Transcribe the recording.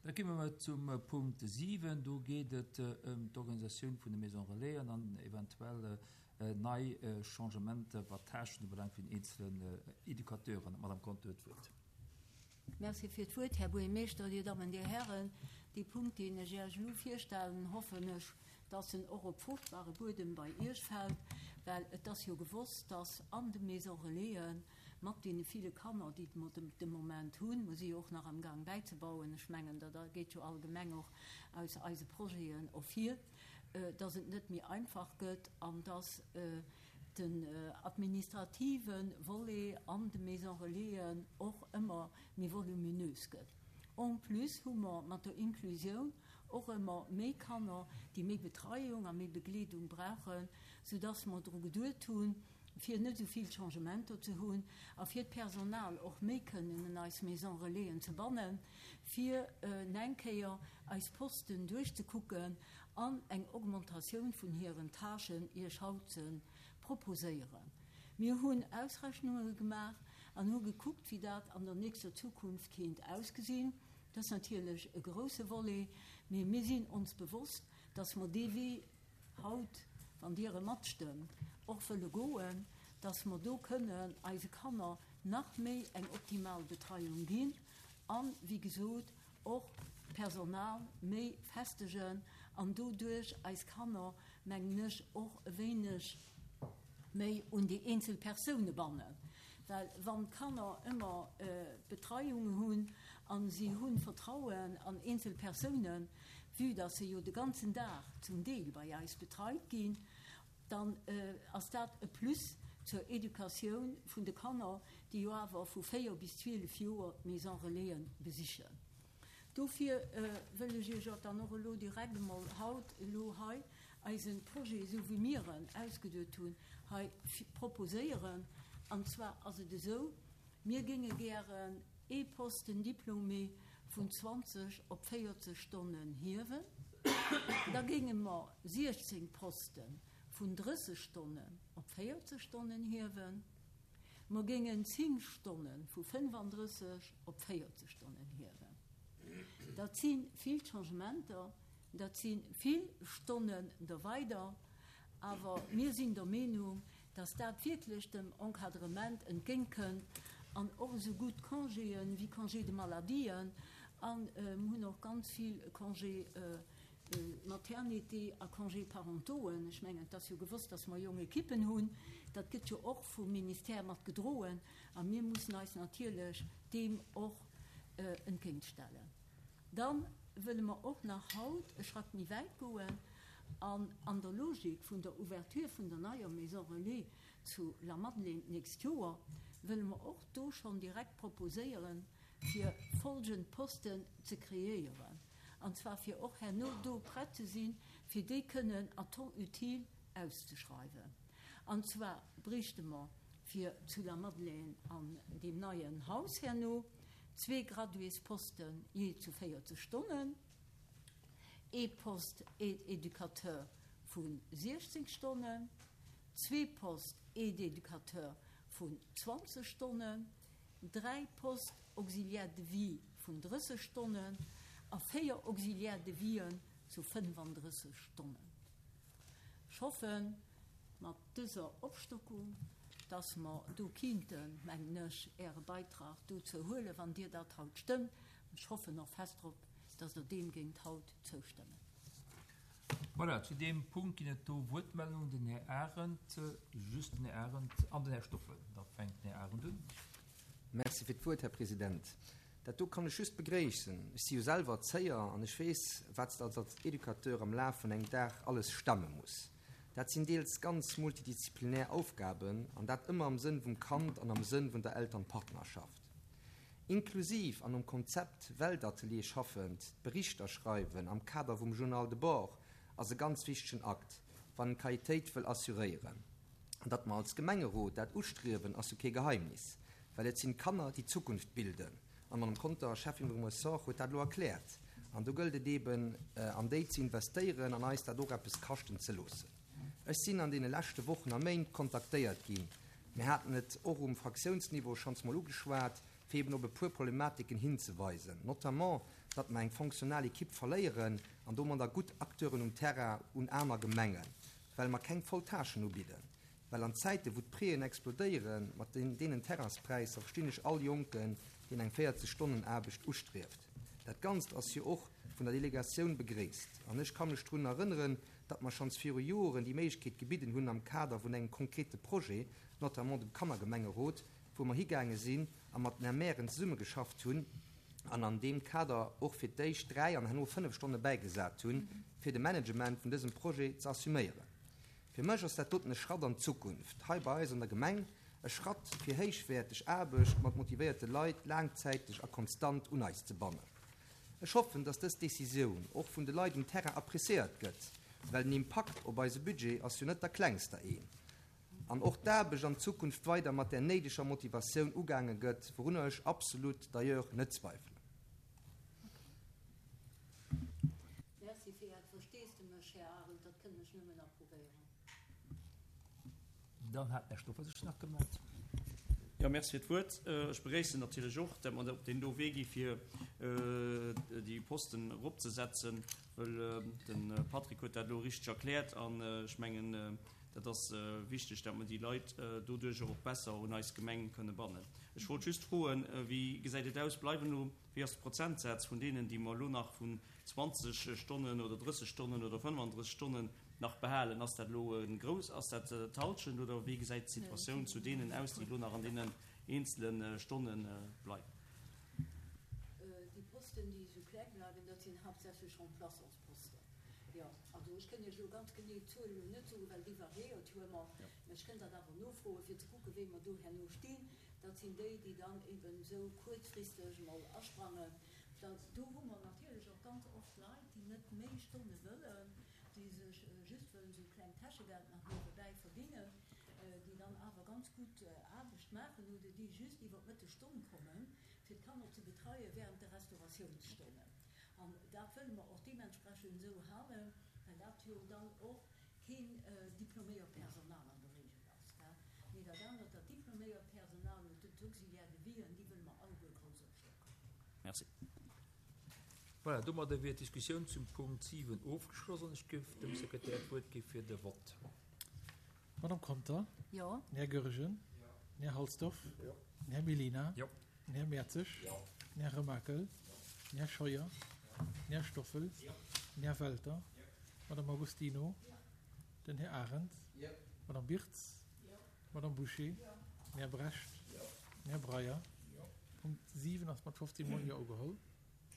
Da komme mer zum Punkt 7. Do geet et ëm d'Organisatioun vun de Maisons Relaisen an eventuell nei Changementer, wat d'Tâchen ubelaangt vun den eenzelen Educateuren. D'Madame Conter huet d'Wuert. Merci fir d'Wuert, Här Buergermeeschter, Dir Dammen, Dir Hären. Dee Punkt, deen ech Iech elo virstellen, hoffen ech, dass en och op fruchtbare Buedem bei Iech fält, well et ass jo gewosst, dass an de Maisons Relaisen mat deene ville Kanner, déi mer de Moment hunn, mer si jo och nach am Gang bäizebauen, ech mengen, dat geet jo allgemeng och aus eise Projeten ervir, dass et net méi einfach gëtt an dass den administrative Volet an de Maisons Relaisen och ëmmer méi voluminös gëtt. En plus hu mer mat der Inklusioun och ëmmer méi Kanner, déi méi Betreiung a méi Begleedung brauchen, soudass mer dru geduet hunn, fir net esou vill Changementer ze hunn a fir d'Personal och méi kënnen un eis Maisons Relaisen ze bannen, fir eng Kéier eis Posten duerchzekucken an eng Augmentatioun vun hiren Tâchen Iech haut ze proposéieren. Mir hunn Ausrechnunge gemaach an hu gekuckt, wéi dat an der nächster Zukunft kéint ausgesinn. Dat ass natierlech e grouse Volet, mee mir sinn ons bewosst, dass mer dee Wee haut, wann Dir e matstëmmt, och wëlle goen, dass mer do kënnen eise Kanner nach méi eng optimal Betreiung ginn an, wéi gesot, och d'Personal méi festegen an doduerch eis Kanner, mengen ech, och e wéineg méi un déi eenzel Persoune bannen. Well wann d'Kanner ëmmer Betreiung hunn a si hu Vertrauen an eenzel Persounen, vue dass se jo de ganzen Dag zum Deel bei eis betreit ginn, dann ass dat e Plus zur Educatioun vun de Kanner, déi jo awer vu 4 bis 12 Joer d'Maison Relaisen besichen. Dofir wëll ech Iech dann och elo direkt emol haut elo hei eise Projet, esou wéi mir en ausgeduet hunn, hei proposéieren. An zwar ass et esou, Mir géinge gären ee Posten Diplômé vun 20 op 40 Stonnen hiewen. Da géinge mer 16 Poste vun 30 Stonnen op 40 Stonnen hiewen. Mer géingen 10 Stonne vu 35 op 40 Stonnen hiewen. Dat si vill Changementer, dat si vill Stonnen der weider. Awer mir sinn der Meenung, dass dat wierklech dem Encadrement entgéintkënnt an och esou gutt Congéen wéi Congé de maladien an mir hunn och ganz vill Congé maternité a Congé parentauxen. Ech mengen, et ass jo gewosst, dass mer jonk Ekippen hunn. Dat gëtt jo och vum Ministère mat gedroen a mir mussen eis natierlech deem och entgéintstellen. Da wëlle mer och nach haut e Schrack méi wäit goen an an der Logik vun der Ouverture vun der neier Maison Relais zu Lamadelaine d'nächst Joer, wëlle mer och do schonn direkt proposéieren, fir folgend Posten ze kreéieren, an zwar fir och herno do prett ze sinn, fir déi kënnen à temps utile auszeschreiwen. An zwar bréichte mer fir zu Lamadelaine an deem neien Haus herno, zwee Graduésposten jee zu 40 Stonnen, ee Poste Aide-éducateur vu 16 Stonnen, zwee Postes Aide-éducateur vun 20 Stonnen, dräi Postes Auxiliaire de vie vun 30 Stonnen a véier Auxiliaires de vien zu 35 Stonnen. Ech hoffen, mat dëser Opstockung, dass mer do kinnten, mengen ech, Äre Beitrag dozou huelen, wann Dir dat haut stëmmt. Ech hoffen och fest drop, dass Der deem géingt haut zoustëmmen. Voilà, zu deem Punkt ginn et do Wuertmeldungen. Den Här Arendt, just den Här Arendt an den Här Stoffel. Da fänkt den Här Arendt un. Merci fir d'Wuert, Här President. Dat do kann ech just begréissen. Ech si jo selwer Erzéier an ech weess, wat s de als Educateur am Laf vun engem Dag alles stemme muss. Dat sinn deels ganz multidisziplinär Aufgaben, an dat ëmmer am Sënn vum Kand an am Sënn vun der Elternpartnerschaft. Inklusiv an nom Konzept Weltatelier schaffend, d'Berichter schreiwen am Kader vum Journal de bord ass e ganz wichtegen Akt, wann en d'Qualitéit wëll assuréieren. An datt mer als Gemengerot dat ustriewen, ass jo kee Geheimnis, well et sinn d'Kanner, déi d'Zukunft bilden. An d'Madame Conter, Schäffin vum Ressort, huet dat elo erkläert. An do gëllt et eeben, an déi ze investéieren an eis dat och eppes kaschten ze loossen. Ech sinn an deene leschte Wochen a Méint kontaktéiert ginn, mir haten et och um Fraktiounsniveau schonns mol ugeschwat, fir eeben op e puer Problematiken hinzeweisen, notamment. datt mer eng fonctionnal Equipe verléieren an domadder gutt Acteuren um Terrain un aner Gemengen, well mer keng voll Tâchen ubidden. Well an Zäiten, wou d'Prixen explodéieren, mat deenen Terrainspräisser, verstinn ech all Jonken, deen eng 40 Stonnen Aarbecht ustrieft. Dat Ganzt ass jo och vun der Delegatioun begréisst. An ech ka mech drun erënneren, datt mer schonns viru Joren déi Méiglechkeet gebidden hunn am Kader vun engem konkrete Projet, notamment dem Kannergemengerot, wou mer higaange sinn a mat den Mairen zesummegeschafft hunn an an deem Kader och fir d'éischt 3 an herno 5 Stonne bäigesat hunn, fir de Management vun dësem Projet ze assuméieren. Fir mech ass dat doten e Schratt an d'Zukunft hei bei eis an der Gemeng, e Schratt fir héichwäerteg Aarbecht mat motivéierte Leit laangzäiteg a konstant un eis ze bannen. Ech hoffen, dass dës Décisioun och vun de Leit um Terrain appréciéiert gëtt, well den Impakt op eise Budget ass jo net der klengster een, an och d'Aarbecht an Zukunft weider mat där néideger Motivatioun ugaange gëtt, wourunner ech absolut d'ailleurs net zweifelen. Merci fir Äert Versteesdemech, Här Arendt, dat kënnen ech nëmmen approvéieren. Dann hat den Här Stoffer sech nach gemellt. Jo, Merci fir d'Wuert. Ech begréissen natierlech och, dat mer op deen do Wee gi fir déi Posten eropzesetzen, well de Patrick huet dat elo richteg erkläert an ech mengen, dat ass wichteg, dat mer déi Leit doduercher och besser un eis Gemeng kënne bannen. Ech wollt just froen, Wéi gesäit et aus, bleiwen elo, wéi ass de Prozentsaz vun deenen, déi mer elo nach vun 20 Stonnen oder 30 Stonnen oder 35 Stonnen nach behalen? Ass dat elo e grouss, ass dat d'Halschent oder wéi gesäit d'Situatioun zu deenen aus, déi elo nach an deenen eenzele Stonne bleiwen? Déi Posten, déi esou kleng bleiwen, dat sinn haaptsächlech Remplaçantsposten. Jo, also ech kënn Iech elo ganz genee d'Zuel elo net soen, well déi variéiert jo ëmmer, mä ech kënnt dat awer nofroen, fir ze kucken, wéi mer do herno stinn. Dat sinn déi, déi dann eben esou kuerzfristeg emol asprangen. Da do hu mer natierlech och ganz oft Leit, déi net méi Stonne wëllen, déi sech just wëllen esou klengt Täschegeld nach niewebäi verdingen, déi dann awer ganz gutt Aarbecht maachen oder déi just iwwer d'Mëttesstonn kommen, fir d'Kanner ze betreie während de Restauratiounsstonnen. An dat wëlle mer och deementsprechend esou halen, well dat jo dann och keen diploméiert Personal an der Regel ass, gell. Mee dat anert, dat diploméiert Personal oder d'Auxiliaires de vie, déi wëlle mer alleguer grouss opstocken. Merci. Voilà, domadder wier d'Diskussioun zum Punkt 7 ofgeschloss an ech géif dem Sekretär d'Wuert gi fir de Vott. Madame Conter? Jo. Den Här Goergen? Jo. Den Här Halsdorf? Jo. Den Här Mellina? Jo. Den Här Mertzig? Jo. Den Här Remakel? Jo. Den Här Scheuer? Jo. Den Här Stoffel? Jo. Den Här Welter? Jo. Madame Agostino? Jo. Den Här Arendt? Jo. Madame Birtz? Jo. Madame Bouché? Jo. Den Här Brecht? Jo. Den Här Breyer? Jo. Punkt 7 ass mat 15 Mol Jo ugeholl.